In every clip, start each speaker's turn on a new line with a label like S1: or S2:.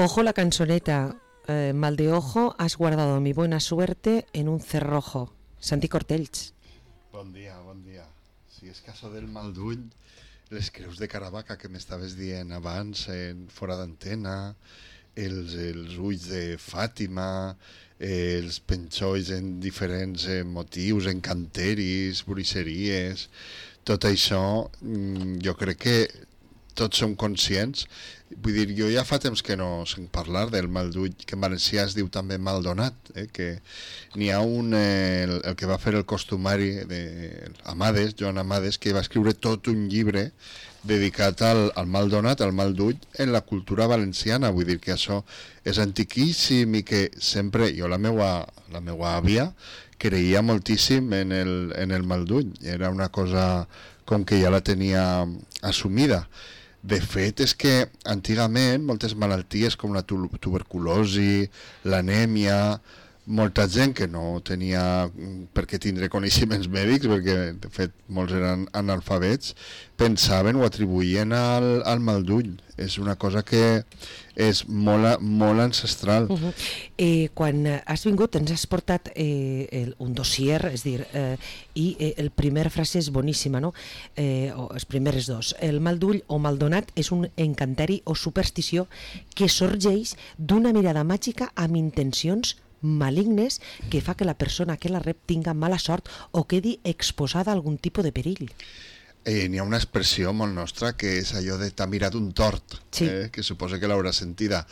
S1: Ojo la cançoneta, mal de ojo, has guardado mi buena suerte en un cerrojo. Santi Cortells.
S2: Bon dia, bon dia. Si és caso del mal d'ull, les creus de Caravaca que m'estaves dient abans, fora d'antena, els ulls de Fàtima, els penxolls en diferents motius, encanteris, bruixeries, tot això jo crec que tots som conscients. Vull dir, jo ja fa temps que no sent parlar del mal d'ull, que en valencià es diu també mal donat, que n'hi ha un, el que va fer el costumari Amades, Joan Amades, que va escriure tot un llibre dedicat al mal donat, al mal d'ull, en la cultura valenciana. Vull dir que això és antiquíssim i que sempre, jo la meua àvia creia moltíssim en el mal d'ull. Era una cosa com que ja la tenia assumida. De fet, és que antigament moltes malalties com la tuberculosi, l'anèmia, molta gent que no tenia per què tindre coneixements mèdics, perquè de fet molts eren analfabets, pensaven o atribuïen al mal d'ull. És una cosa que és molt ancestral.
S1: Quan has vingut ens has portat un dossier, és dir, i el primer frase és boníssima, no? O els primers dos. El mal d'ull o mal donat és un encanteri o superstició que sorgeix d'una mirada màgica amb intencions malignes que fa que la persona que la rep tinga mala sort o quedi exposada a algun tipus de perill.
S2: N'hi ha una expressió molt nostra que és allò de t'ha mirat un tort,
S1: sí.
S2: Que suposo que l'haurà sentida,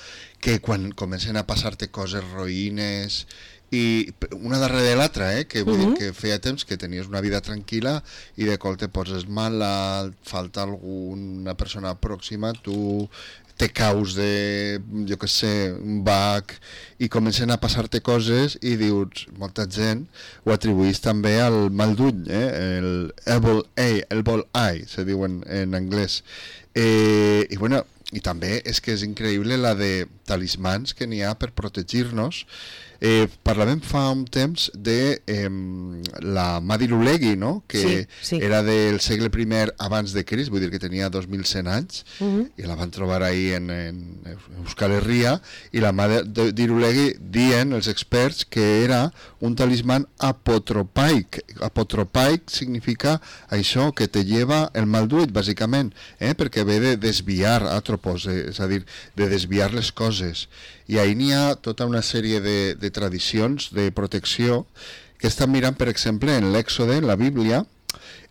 S2: que quan comencen a passar-te coses roïnes i una darrere l'altra, que vull dir que feia temps que tenies una vida tranquil·la i de cop te poses malalt, falta alguna persona pròxima, tu te caus de, jo què sé, un bac i comencen a passar-te coses i dius, molta gent ho atribuís també al mal d'ull, el evil eye, se diu en anglès. I bueno, i també és que és increïble la de talismans que n'hi ha per protegir-nos. Parlàvem fa un temps de la Madilulegui, no? Que
S1: sí.
S2: Era del segle I abans de Crist, vull dir que tenia 2100 anys, i la van trobar ahí en Euskal Herria, i la Madilulegui dien els experts que era un talismán apotropaic. Apotropaic significa això, que te lleva el mal d'ull, bàsicament, perquè ve de desviar atropos, és a dir, de desviar les coses. I ahí n'hi ha tota una sèrie de tradicions de protecció que estan mirant, per exemple, en l'Èxode, en la Bíblia,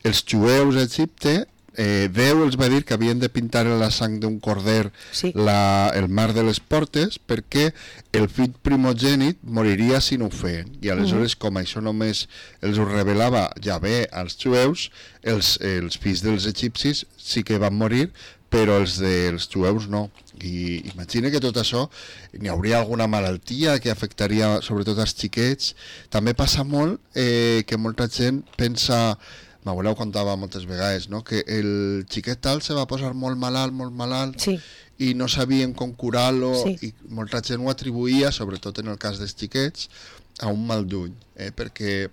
S2: els jueus a Egipte, Déu els va dir que havien de pintar en la sang d'un corder el mar de les portes perquè el fill primogènit moriria si no ho feien. I aleshores, com això només els ho revelava Yahvé als jueus, els fills dels egipcis sí que van morir, però els dels jueus no. I imagina que tot això n'hi hauria alguna malaltia que afectaria sobretot als xiquets. També passa molt que molta gent pensa, m'abuela ho contava moltes vegades, no? Que el xiquet tal se va posar molt malalt
S1: sí.
S2: I no sabien com curar-lo, i molta gent ho atribuïa, sobretot en el cas dels xiquets, a un mal d'ull, perquè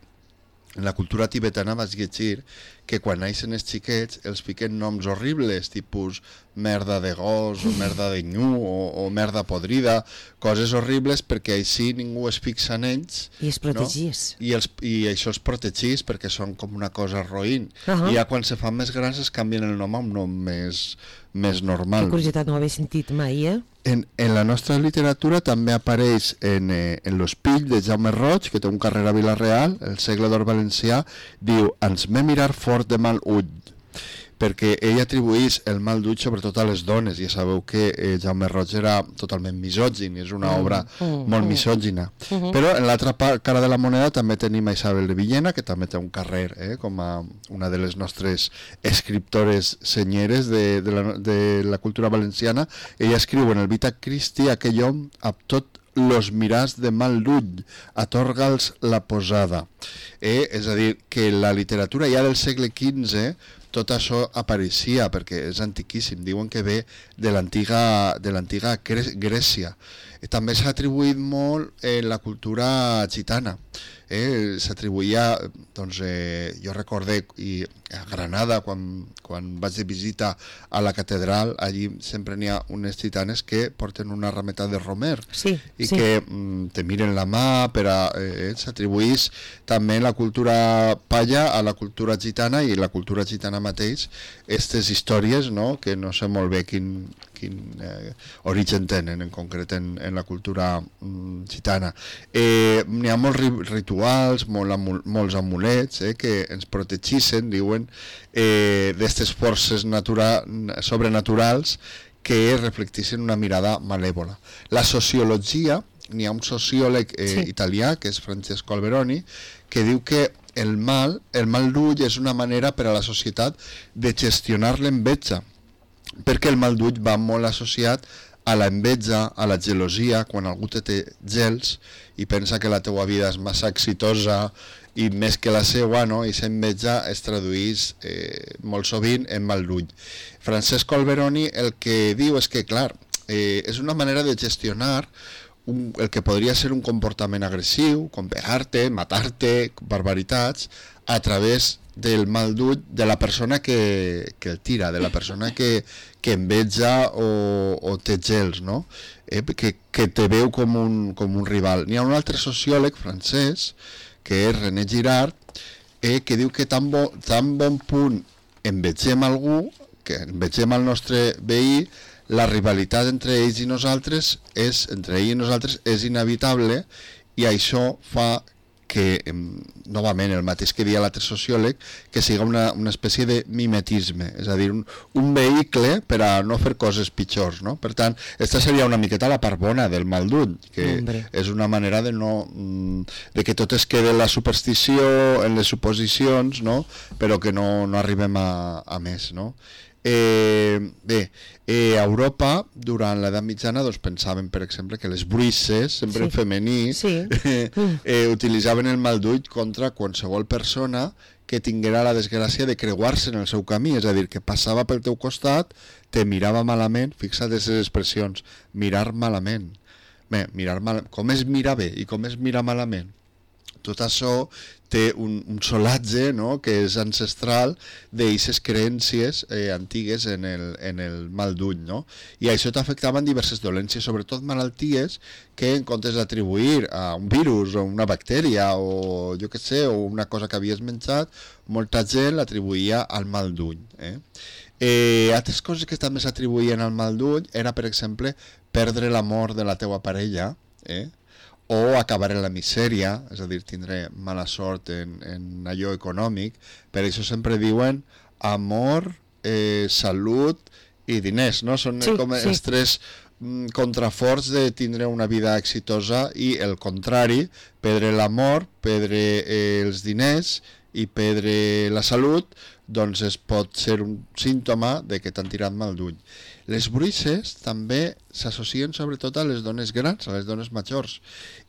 S2: en la cultura tibetana vaig llegir que quan naixen els xiquets els fiquen noms horribles, tipus merda de gos o merda de nyu o merda podrida, coses horribles perquè així ningú es fixa en ells.
S1: I es protegís.
S2: No? I això es protegís perquè són com una cosa roïn. I ja quan se fan més grans es canvien el nom a un nom més normal.
S1: Que curiositat, no ho havia sentit mai,
S2: En la nostra literatura també apareix en l'Espill de Jaume Roig, que té un carrer a Vila-real, el segle d'or valencià, diu, ens m'he mirar fort de mal ull, perquè ell atribuís el mal d'ull sobretot a les dones. Ja sabeu que Jaume Roig era totalment misògin, és una obra molt misògina. Però en l'altra cara de la moneda també tenim a Isabel de Villena, que també té un carrer, com a una de les nostres escriptores senyeres de la cultura valenciana. Ella escriu en el Vita Christi, aquell hom amb tot los mirars de mal d'ull, atorga'ls la posada. És a dir, que la literatura ja del segle XV tot això apareixia, perquè és antiquíssim, diuen que ve de l'antiga Grècia. També s'ha atribuït molt en la cultura gitana. s'atribuïa, doncs, jo recordé, i a Granada, quan vaig de visita a la catedral, allí sempre n'hi ha unes gitanes que porten una rameta de romer, i que te miren la mà, s'atribuís també la cultura palla a la cultura gitana, i la cultura gitana mateix, aquestes històries, no?, que no sé molt bé quin origen tenen en concret en la cultura gitana. N'hi ha molts rituals, molts amulets que ens protegissin, diuen, d'aquestes forces sobrenaturals que reflectissin una mirada malèvola. La sociologia, n'hi ha un sociòleg italià, que és Francesco Alberoni, que diu que el mal d'ull és una manera per a la societat de gestionar l'enveja, perquè el mal d'ull va molt associat a la enveja, a la gelosia. Quan algú té gels i pensa que la teua vida és massa exitosa i més que la seva, no? I s'enveja es traduís molt sovint en mal d'ull. Francesco Alberoni el que diu és que, clar, és una manera de gestionar el que podria ser un comportament agressiu, com pegar-te, matar-te, barbaritats, a través del mal d'ull de la persona que el tira, de la persona que enveja o té gels, no? Que te veu com un rival. N'hi ha un altre sociòleg francès, que és René Girard, que diu que tan bon punt envegem algú, que envegem el nostre veí, la rivalitat entre ells i nosaltres és inevitable, i això fa que, novament, el mateix que deia l'altre sociòleg, que siga una espècie de mimetisme, és a dir, un vehicle per a no fer coses pitjors, no? Per tant, aquesta seria una miqueta la part bona del mal d'ull, que és una manera de que tot es quede en la superstició, en les suposicions, no? Però que no arribem a més, no? Bé, a Europa, durant l'edat mitjana, doncs pensaven, per exemple, que les bruixes, sempre en femení, utilitzaven el mal d'ull contra qualsevol persona que tinguera la desgràcia de creuar-se en el seu camí, és a dir, que passava pel teu costat, te mirava malament, fixa't aquestes expressions, mirar malament. Bé, com es mira bé i com es mira malament? Tot això té un solatge, no?, que és ancestral d'aquestes creences antigues en el mal d'ull, no? I això t'afectaven diverses dolències, sobretot malalties que, en comptes d'atribuir a un virus o una bactèria o jo què sé, o una cosa que havies menjat, molta gent l'atribuïa al mal d'ull. Altres coses que també s'atribuïen al mal d'ull era, per exemple, perdre l'amor de la teua parella, o acabar en la misèria, és a dir, tindre mala sort en allò econòmic. Per això sempre diuen amor, salut i diners, no? Són com els tres contraforts de tindre una vida exitosa, i el contrari, perdre l'amor, perdre els diners i perdre la salut, doncs pot ser un símptoma de que t'han tirat mal d'ull. Les bruixes també s'associen sobretot a les dones grans, a les dones majors,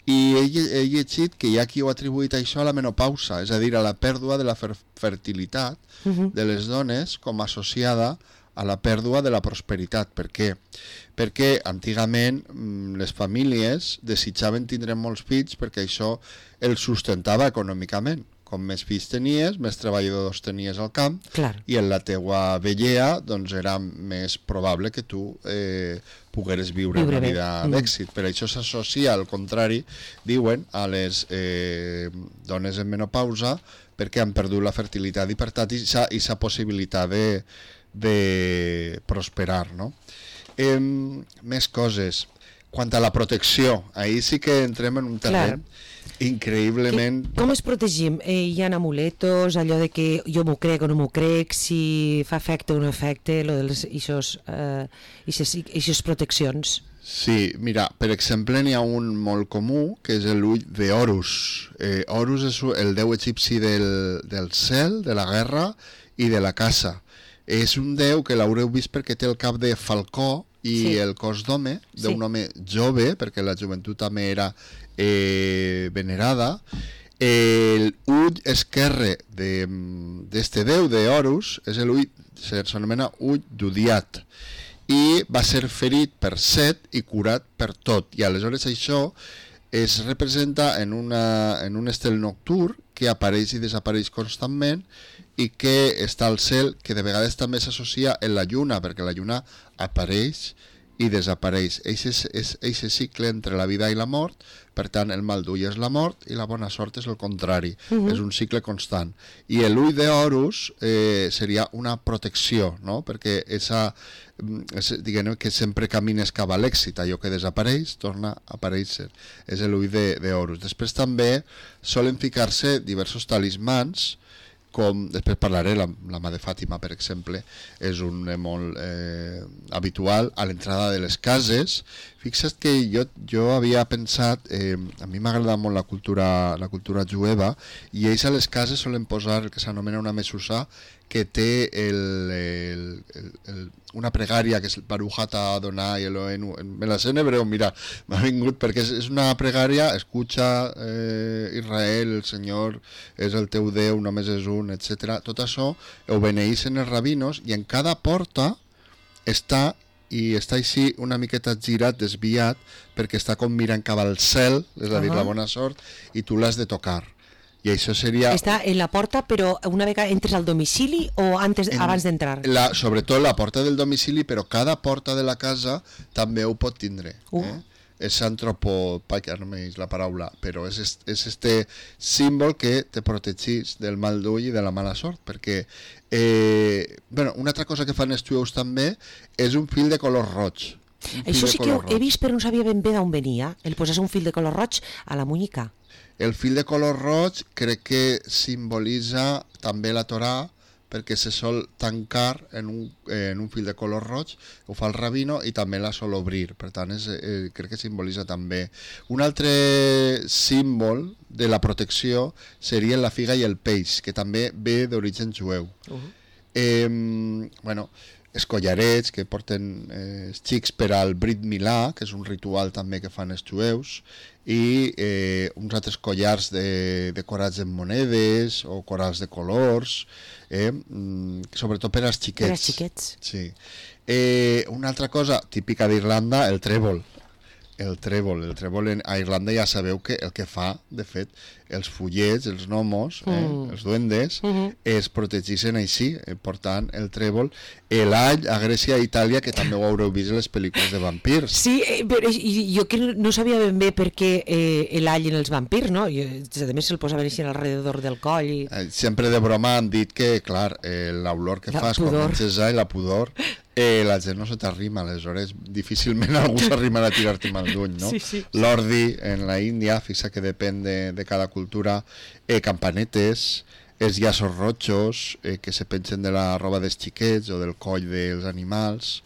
S2: i he llegit que hi ha qui ho ha atribuït això a la menopausa, és a dir, a la pèrdua de la fertilitat de les dones com associada a la pèrdua de la prosperitat. Per què? Perquè antigament les famílies desitjaven tindre molts fills perquè això els sustentava econòmicament. Com més fills tenies, més treballadors tenies al camp, i en la teua vellea doncs era més probable que tu pogueres viure una vida d'èxit. Per això s'associa, al contrari, diuen, a les dones en menopausa, perquè han perdut la fertilitat i per tant aquesta possibilitat de prosperar, no? Més coses. Quant a la protecció, ahir sí que entrem en un terreny increïblement...
S1: Com es protegim? Hi ha amuletos, allò de que jo m'ho crec o no m'ho crec, si fa efecte o no efecte, aquestes proteccions.
S2: Sí, mira, per exemple, n'hi ha un molt comú, que és l'ull d'Horus. Horus és el déu egipci del cel, de la guerra i de la caça. És un déu que l'haureu vist perquè té el cap de falcó i el cos d'home, d'un home jove, perquè la joventut també era venerada. L'ull esquerre d'este déu d'Horus és l'ull, s'anomena ull d'Udiat, i va ser ferit per Set i curat per tot, i aleshores això es representa en un estel nocturn que apareix i desapareix constantment i que està al cel, que de vegades també s'associa en la lluna, perquè la lluna apareix i desapareix. Eixe cicle entre la vida i la mort, per tant el mal d'ull és la mort i la bona sort és el contrari, és un cicle constant. I l'ull d'Horus seria una protecció, no? Perquè diguem que sempre camines cap a l'èxit, allò que desapareix torna a aparèixer, és l'ull d'Horus. Després també solen ficar-se diversos talismans, com després parlaré, la mà de Fàtima, per exemple, és un molt habitual a l'entrada de les cases. Fixa't que jo havia pensat, a mi m'agrada molt la cultura jueva, i ells a les cases solen posar el que s'anomena una mesusa, que té una pregària que és el Baruch Ata Adonai Eloheinu, me la sé en hebreu, mira, m'ha vingut perquè és una pregària, escucha Israel, el Senyor és el teu Déu, només és un, etc. Tot això ho beneeixen els rabinos i en cada porta està així una miqueta girat, desviat, perquè està com mirant cap al cel, és a dir, la bona sort, i tu l'has de tocar. I això seria...
S1: Està en la porta, però una vegada entres al domicili o abans d'entrar?
S2: Sobretot la porta del domicili, però cada porta de la casa també ho pot tindre. És antropopaia, no m'he dit la paraula, però és este símbol que te protegís del mal d'ull i de la mala sort, perquè una altra cosa que fan els jueus també és un fil de color roig.
S1: Això sí que he vist, però no sabia ben bé d'on venia, el posar un fil de color roig a la muñeca.
S2: El fil de color roig crec que simbolitza també la Torà, perquè se sol tancar en un fil de color roig, ho fa el rabino, i també la sol obrir, per tant crec que simbolitza també. Un altre símbol de la protecció seria la figa i el peix, que també ve d'origen jueu. Els collarets que porten els xics per al Brit Milà, que és un ritual també que fan els jueus, i uns altres collars decorats en monedes o corals de colors, sobretot per als xiquets.
S1: Per als xiquets.
S2: Sí. Una altra cosa típica d'Irlanda, el trèvol. El trèvol a Irlanda ja sabeu que el que fa, de fet, els fullets, els gnomos, els duendes, es protegeixen així, portant el trèvol. L'all a Grècia i Itàlia, que també ho haureu vist en les pel·lícules de vampirs.
S1: Sí, però jo que no sabia ben bé per què l'all en els vampirs, no? A més se'l posaven així alrededor del coll.
S2: Sempre de broma han dit que, clar, l'olor que fas quan menges all, la pudor, la gent no se t'arrima, aleshores difícilment algú s'arrimarà a tirar-te mal d'ull, no?
S1: Sí.
S2: L'ordi en la Índia, fixa que depèn de cada cultura, campanetes, els llaços rojos que se pengen de la roba dels xiquets o del coll dels animals,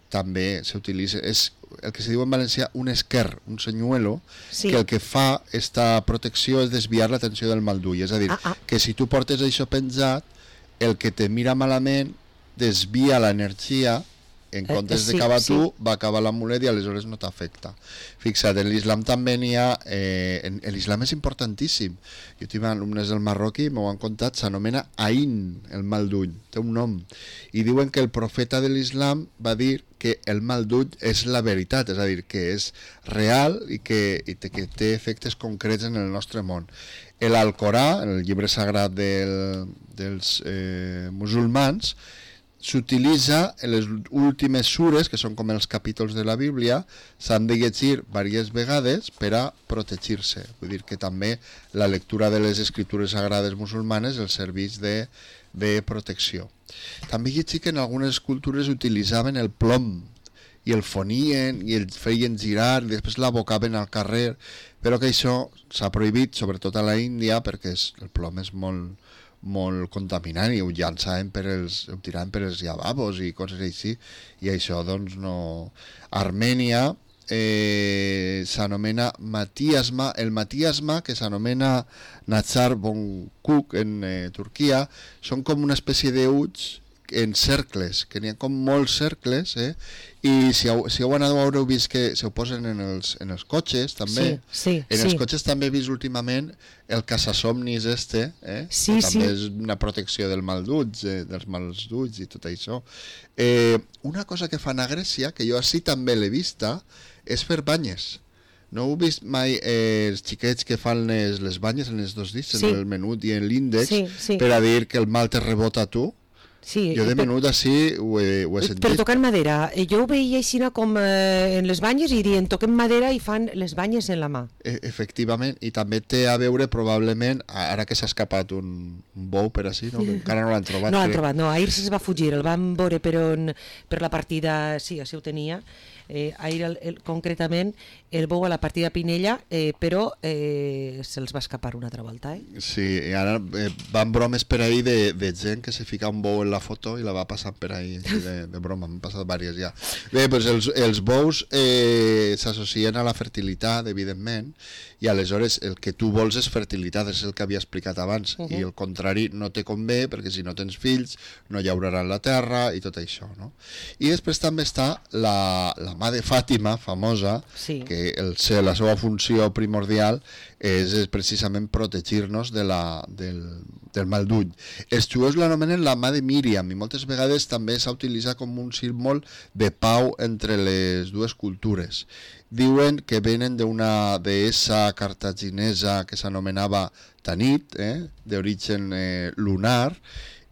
S2: també s'utilitza, és el que se diu en valencià un esquer, un senyuelo, que el que fa esta protecció és desviar l'atenció del mal d'ull, és a dir, que si tu portes això penjat, el que te mira malament desvia l'energia, en comptes de acabar tu, va acabar l'amulet i aleshores no t'afecta. Fixa't, en l'islam també n'hi ha... l'islam és importantíssim. Jo tinc alumnes del Marroquí, m'ho han contat, s'anomena Ain, el mal d'ull, té un nom. I diuen que el profeta de l'islam va dir que el mal d'ull és la veritat, és a dir, que és real i que té efectes concrets en el nostre món. L'Alcorà, el llibre sagrat dels musulmans, s'utilitza en les últimes sures, que són com els capítols de la Bíblia, s'han de llegir diverses vegades per a protegir-se. Vull dir que també la lectura de les escritures sagrades musulmanes els serveix de protecció. També llegir que en algunes cultures utilitzaven el plom i el fonien i el feien girar i després l'abocaven al carrer, però que això s'ha prohibit, sobretot a la Índia, perquè el plom és molt contaminant i ho llançaven ho tiraven per els lavabos i coses així, i això doncs no... Armènia s'anomena matiasma, el matiasma, que s'anomena Nazar Bonkuk en Turquia, són com una espècie d'ulls en cercles, que n'hi ha com molts cercles, i si heu anat ho haureu vist que se ho posen en els cotxes també. Els cotxes també he vist últimament el caçasomnis que també és una protecció del mal d'ulls, dels mals d'ulls i tot això. Una cosa que fan a Grècia, que jo així també l'he vista, és fer banyes. No heu vist mai els xiquets que fan les banyes en els 2 dits,
S1: Sí.
S2: en el menut i en l'índex,
S1: Sí.
S2: per a dir que el mal te rebota a tu?
S1: Sí,
S2: Jo de menut així ho he sentit.
S1: però tocant madera. Jo ho veia així com en les banyes i dient toquem madera i fan les banyes en la mà.
S2: Efectivament, i també té a veure probablement, ara que s'ha escapat un bou per així, no? Que encara no l'han trobat.
S1: No l'han trobat, no, ahir se'ls va fugir, el van veure per la partida, sí, així ho tenia, ahir concretament el bou a la partida Pinella, però se'ls va escapar una altra volta.
S2: Sí, i ara van bromes per ahir de gent que se fica un bou en la foto i la va passant per ahir, de broma, m'han passat diverses ja. Bé, doncs els bous s'associen a la fertilitat, evidentment, i aleshores el que tu vols és fertilitat, és el que havia explicat abans, i el contrari no te convé, perquè si no tens fills no llauraran la terra i tot això, no? I després també està la mà de Fàtima, famosa,
S1: Sí.
S2: que la seva funció primordial és precisament protegir-nos del mal d'ull. Els jueus l'anomenen la mà de Míriam i moltes vegades també s'ha utilitzat com un símbol de pau entre les dues cultures. Diuen que venen d'una deessa cartaginesa que s'anomenava Tanit, d'origen lunar,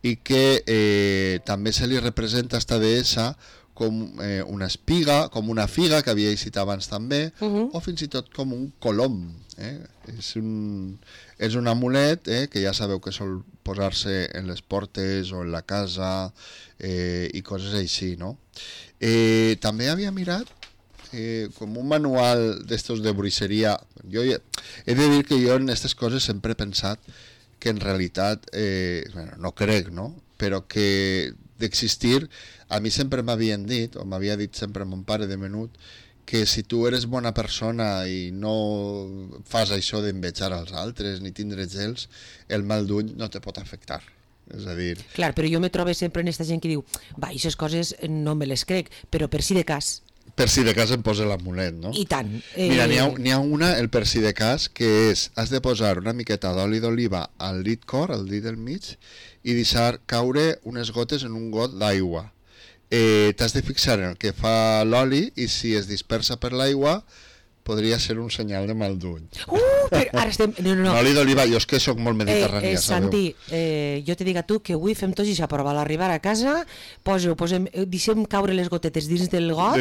S2: i que també se li representa a esta deessa com una espiga, com una figa, que havia eixit abans també, o fins i tot com un colom. És un amulet que ja sabeu que sol posar-se en les portes o en la casa i coses així, no? També havia mirat com un manual d'estos de bruixeria. Jo he de dir que jo en aquestes coses sempre he pensat que en realitat, no crec, no? Però que d'existir, a mi sempre m'havien dit, o m'havia dit sempre mon pare de menut, que si tu eres bona persona i no fas això d'envejar als altres ni tindre gels, el mal d'ull no te pot afectar. És a dir...
S1: Clar, però jo me trobo sempre en aquesta gent que diu va, aquestes coses no me les crec, però per si de cas.
S2: Per si de cas em posa l'amulet, no?
S1: I tant.
S2: Mira, n'hi ha una, el per si de cas, que és, has de posar una miqueta d'oli d'oliva al dit cor, al dit del mig, i deixar caure unes gotes en un got d'aigua. T'has de fixar en el que fa l'oli i si es dispersa per l'aigua podria ser un senyal de mal d'ull.
S1: Però ara estem... No.
S2: Oli d'oliva, jo és que sóc molt mediterrània, sabeu?
S1: Santi, jo te dic a tu que avui fem tots i prova. A l'arribar a casa, deixem caure les gotetes dins del got,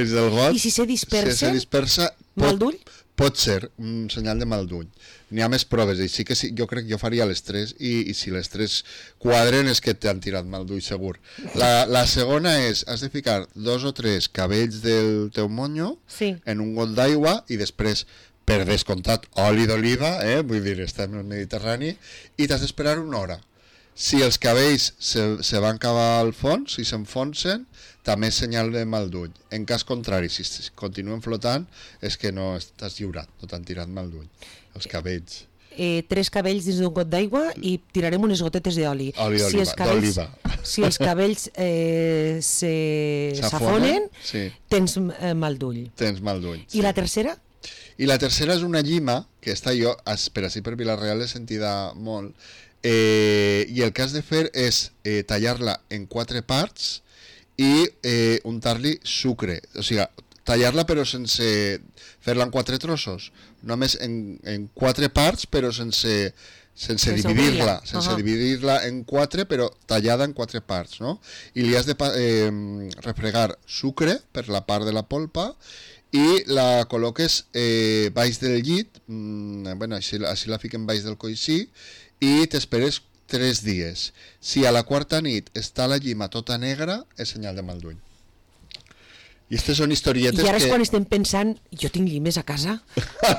S1: i si se dispersa, mal d'ull?
S2: Pot ser un senyal de mal d'ull. N'hi ha més proves, i sí que sí, jo crec que jo faria les 3, i si les 3 quadren és que t'han tirat mal d'ull segur. La segona és, has de ficar 2 o 3 cabells del teu monyo en un got d'aigua i després, per descomptat, oli d'oliva, vull dir, estem al Mediterrani, i t'has d'esperar una hora. Si els cabells se van cavar al fons, si s'enfonsen, també és senyal de mal d'ull. En cas contrari, si continuen flotant, és que no estàs lliurat, no t'han tirat mal d'ull. Els cabells.
S1: 3 cabells dins d'un got d'aigua i tirarem unes gotetes d'oli.
S2: Oli d'oliva.
S1: Si els cabells s'afonen, tens mal d'ull.
S2: Tens mal d'ull.
S1: I la tercera?
S2: I la tercera és una llima, que està jo, per així per Vilareal l'he sentida molt, i el que has de fer és tallar-la en 4 parts i untar-li sucre, o sigui, tallar-la però sense fer-la en 4 trossos, només en 4 parts però sense dividir-la, dividir-la en 4 però tallada en 4 parts, no? I li has de refregar sucre per la part de la polpa i la col·loques baix del llit, així la fiquen baix del coixí, i t'esperes 3 dies. Si a la quarta nit està la llima tota negra, és senyal de mal d'ull. I aquestes són historietes que...
S1: I ara és quan estem pensant, jo tinc llimes a casa,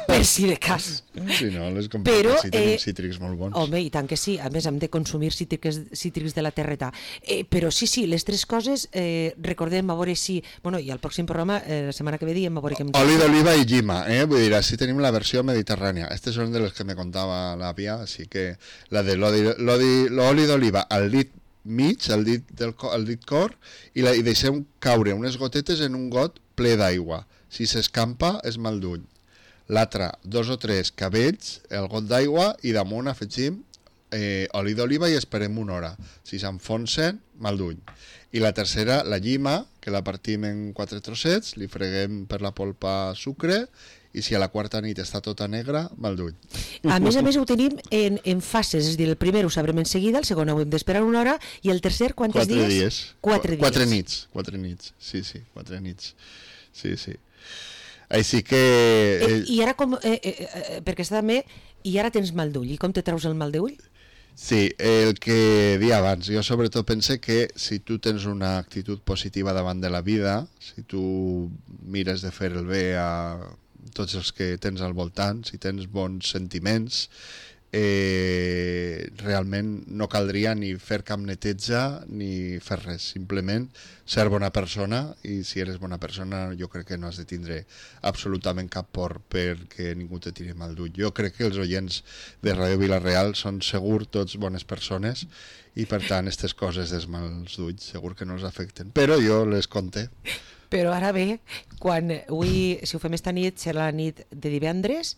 S1: per si de cas.
S2: Sí, no, les comprem, però, sí, tenim cítrics molt bons.
S1: Home, i tant que sí, a més hem de consumir cítrics de la terreta. Però sí, les 3 coses, recordem, a veure si... Bueno, i al pròxim programa, la setmana que ve diem, a veure què em...
S2: Oli d'oliva i llima, vull dir, així tenim la versió mediterrània. Aquestes són de les que me contava l'àvia, així que la de l'oli d'oliva al dit mig, al dit cor, i deixem caure unes gotetes en un got ple d'aigua. Si s'escampa és mal d'ull. L'altra, 2 o 3 cabells, el got d'aigua, i damunt afegim oli d'oliva i esperem una hora. Si s'enfonsen, mal d'ull. I la tercera, la llima, que la partim en 4 trossets, li freguem per la polpa sucre i si a la quarta nit està tota negra, mal d'ull.
S1: A més, ho tenim en fases, és a dir, el primer ho sabrem en seguida, el segon hem d'esperar una hora, i el tercer, quants dies? 4 dies.
S2: 4 nits, 4 nits, sí, 4 nits, sí. Així que...
S1: I ara com... perquè està també... I ara tens mal d'ull, i com te treus el mal d'ull?
S2: Sí, el que dia abans, jo sobretot pense que si tu tens una actitud positiva davant de la vida, si tu mires de fer el bé a tots els que tens al voltant, si tens bons sentiments, realment no caldria ni fer cap neteja ni fer res, simplement ser bona persona, i si eres bona persona jo crec que no has de tindre absolutament cap por perquè ningú te tiri mal d'ull. Jo crec que els oients de Ràdio Vila-real són segur tots bones persones i per tant aquestes coses dels mals d'ulls segur que no els afecten, però jo les conté.
S1: Però ara bé, quan avui, si ho fem esta nit, serà la nit de divendres,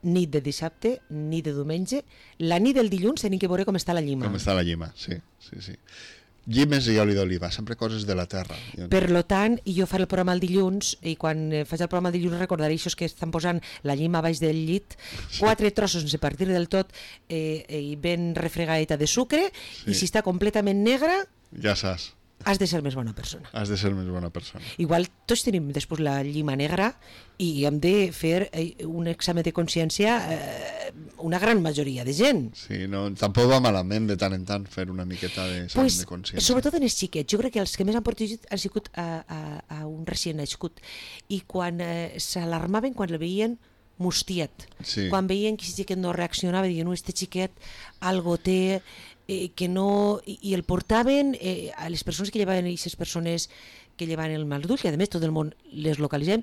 S1: nit de dissabte, nit de diumenge, la nit del dilluns tenim que veure com està la llima.
S2: Com està la llima, sí. Llimes i oli d'oliva, sempre coses de la terra.
S1: Per lo tant, jo faré el programa el dilluns, i quan faig el programa el dilluns recordaré això que estan posant la llima baix del llit, 4 trossos sense partir del tot i ben refregadeta de sucre, i si està completament negra...
S2: Ja saps.
S1: Has de ser més bona persona.
S2: Has de ser més bona persona.
S1: Igual tots tenim després la llima negra i hem de fer un examen de consciència una gran majoria de gent.
S2: Sí, no, tampoc va malament de tant en tant fer una miqueta d'examen de consciència.
S1: Sobretot en els xiquets. Jo crec que els que més han protegit han sigut a un recient nascut. I quan s'alarmaven quan el veien mustiat.
S2: Sí.
S1: Quan veien que si xiquet no reaccionava, diuen, no, este xiquet algo té... que no, i el portaven a les persones que llevaven, aquestes persones que llevaven el mal d'ull, que a més tot el món les localitzem,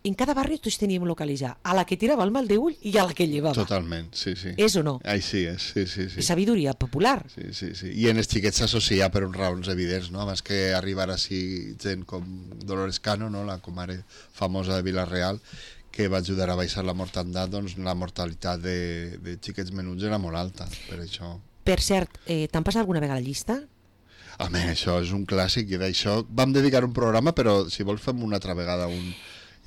S1: en cada barri tots teníem localitzar a la que tirava el mal d'ull i a la que llevava.
S2: Totalment, sí.
S1: És o no?
S2: Així és, sí.
S1: Sabidoria popular.
S2: Sí. I en els xiquets s'associa per uns raons evidents, no? Abans que arribar així gent com Dolores Cano, no? La comare famosa de Vila-real, que va ajudar a baixar la mortandat, doncs la mortalitat de xiquets menuts era molt alta, per això...
S1: Per cert, t'han passat alguna vegada la llista?
S2: Home, això és un clàssic, i d'això vam dedicar un programa, però si vols fem una altra vegada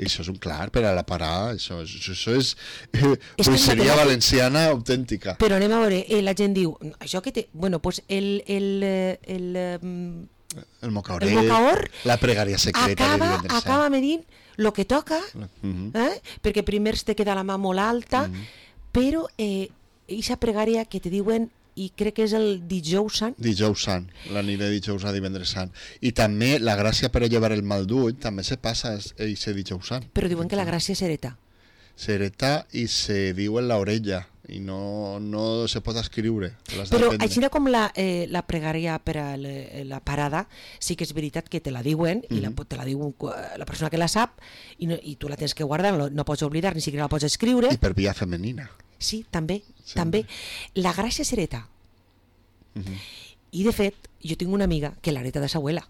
S2: Això és un clar per a la parada, això és poesia valenciana autèntica.
S1: Però anem a veure, la gent diu, això que té... Bueno, doncs el mocaor,
S2: la pregària secreta
S1: acaba medint el que toca, perquè primer te queda la mà molt alta, però aquesta pregària que te diuen, i crec que és el dijous sant.
S2: Dijous sant, la nit de dijous a divendres sant. I també la gràcia per a llevar el mal d'ull també se passa aquest dijous sant.
S1: Però diuen que la gràcia s'hereta.
S2: S'hereta i se diu en l'orella i no se pot escriure.
S1: Però així com la pregària per a la parada, sí que és veritat que te la diuen, i te la diu la persona que la sap, i tu la tens que guardar, no pots oblidar, ni siquiera la pots escriure.
S2: I per via femenina.
S1: Sí, també. La gràcia s'hereta. I de fet, jo tinc una amiga que l'hereta de sa abuela.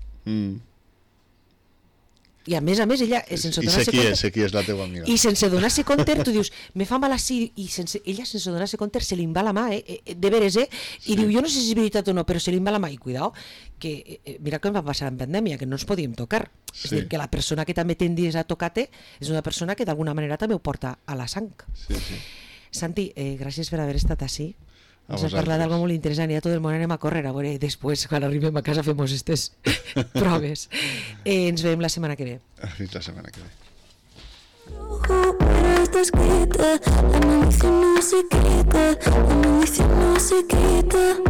S1: I a més, ella sense donar-se compte...
S2: Sé qui és la teva amiga.
S1: I sense donar-se compte, tu dius, me fa mal així, i ella sense donar-se compte se li va la mà, de veres, i diu, jo no sé si és veritat o no, però se li va la mà, i cuidao, que mira què em va passar en pandèmia, que no ens podíem tocar. És dir, que la persona que també tendies a tocar-te és una persona que d'alguna manera també ho porta a la sang. Santi, gràcies per haver estat així. Ens has parlat d'algo molt interessant i a tot el món anem a córrer a veure després, quan arribem a casa, fem aquestes proves. Ens veiem la setmana que ve.
S2: Fins la setmana que ve.
S3: Está escrita, la maldición no se quita, la maldición no se quita.